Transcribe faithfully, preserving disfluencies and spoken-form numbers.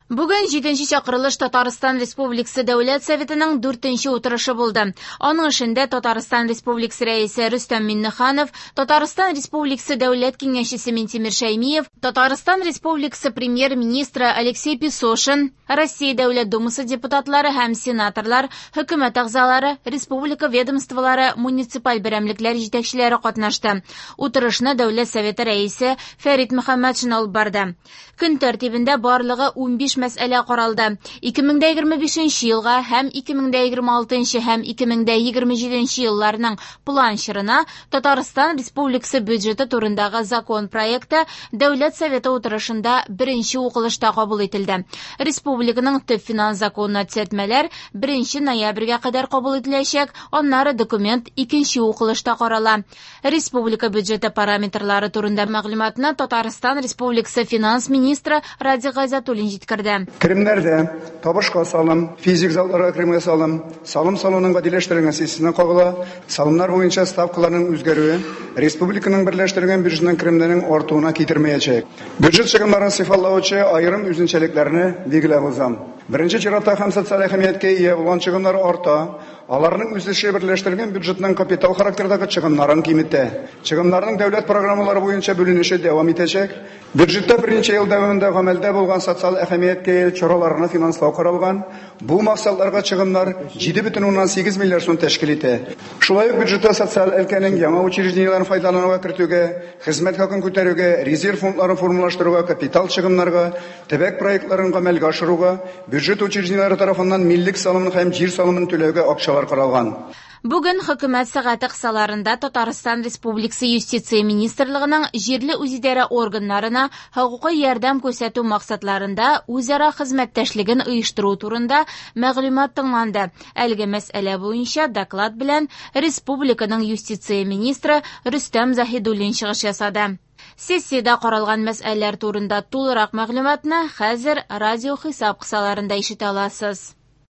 Бүген җиденче чакырылыш Татарстан Республикасы Дәүләт Советының дүртенче утырышы булды. Аның эшендә Татарстан Республикасы Рәисе Рөстәм Миңнеханов, Татарстан Республикасы Дәүләт Киңәшчесе Минтимер Шәймиев, Татарстан Республикасы Премьер-министры Алексей Песошин, Россия Дәүләт Думасы депутатлары һәм сенаторлар, хөкүмәт әгъзалары, республика ведомстволары, муниципаль берәмлекләр җитәкчеләре катнашты. Утырышны Дәүләт Советы рәисе Фәрит Мөхәммәтшин алып барды. Көн тәртибендә барлыгы унбиш мәсьәлә каралды. ике мең дә егерме бишенче елга һәм ике мең дә егерме алтынчы һәм ике мең дә егерме җиденче елларның план чорына Татарстан Республикасы бюджеты турындагы закон проекты Дәүләт Советы утырышында беренче укылышта кабул ителде. Республиканың төп финанс законына төзәтмәләр беренче ноябрьгә кадәр кабул ителәчәк, аннары документ икенче укылышта карала. Республика бюджеты параметрлары турында мәгълүматны Татарстан Республикасы финанс министры Радик Гайзатуллин җиткерде. Керемнәрдә табышка салым, физик затларга керемгә салым, салым салуның гадиләштерелгән системасына кагыла, салымнар буенча ставкаларның үзгәрүе республиканың берләштерелгән бюджетының керемнәренең артуына китермәячәк. Бюджет чыгымнарын сыйфатлаучы аерым үзенчәлекләрне билгеләп узам. Беренче чиратта һәм социаль әһәмияткә ия булган чыгымнар арта, аларның үсеше берләштерелгән бюджетның капитал характердагы чыгымнарын киметә. Чыгымнарның дәүләт программалары буенча бүленеше дәвам итәчәк. Бюджетта берничә ел дәвамында гамәлдә булган социаль әһәмияткә ия чараларны финанслау каралган. Бу максатларга чыгымнар җиде бөтен уннан сигез миллиард сум тәшкил итә. Шулай ук бюджетта социаль өлкәнең яңа учреждениеләрен файдалануга кертүгә, хезмәт хакын күтәрүгә, резерв фондларын формалаштыруга, капитал чыгымнарга, төбәк проектларын гамәлгә ашыруга, бюджет учреждениеләре тарафыннан миллек салымын һәм җир салымын түләүгә акчалар каралган. Бүген хөкүмәт сәгате кысаларында Татарстан Республикасы Юстиция Министрлыгының җирле үзидарә органнарына хокукый ярдәм күрсәтү максатларында үзара хезмәттәшлеген оештыру турында мәгълүмат тыңланды. Әлеге мәсьәлә буенча доклад белән республиканың юстиция министры Рөстәм Заһидуллин чыгыш ясады. Сессиядә каралган мәсьәләләр турында тулырак мәгълүматны хәзер радио хисап кысаларында ишетә аласыз.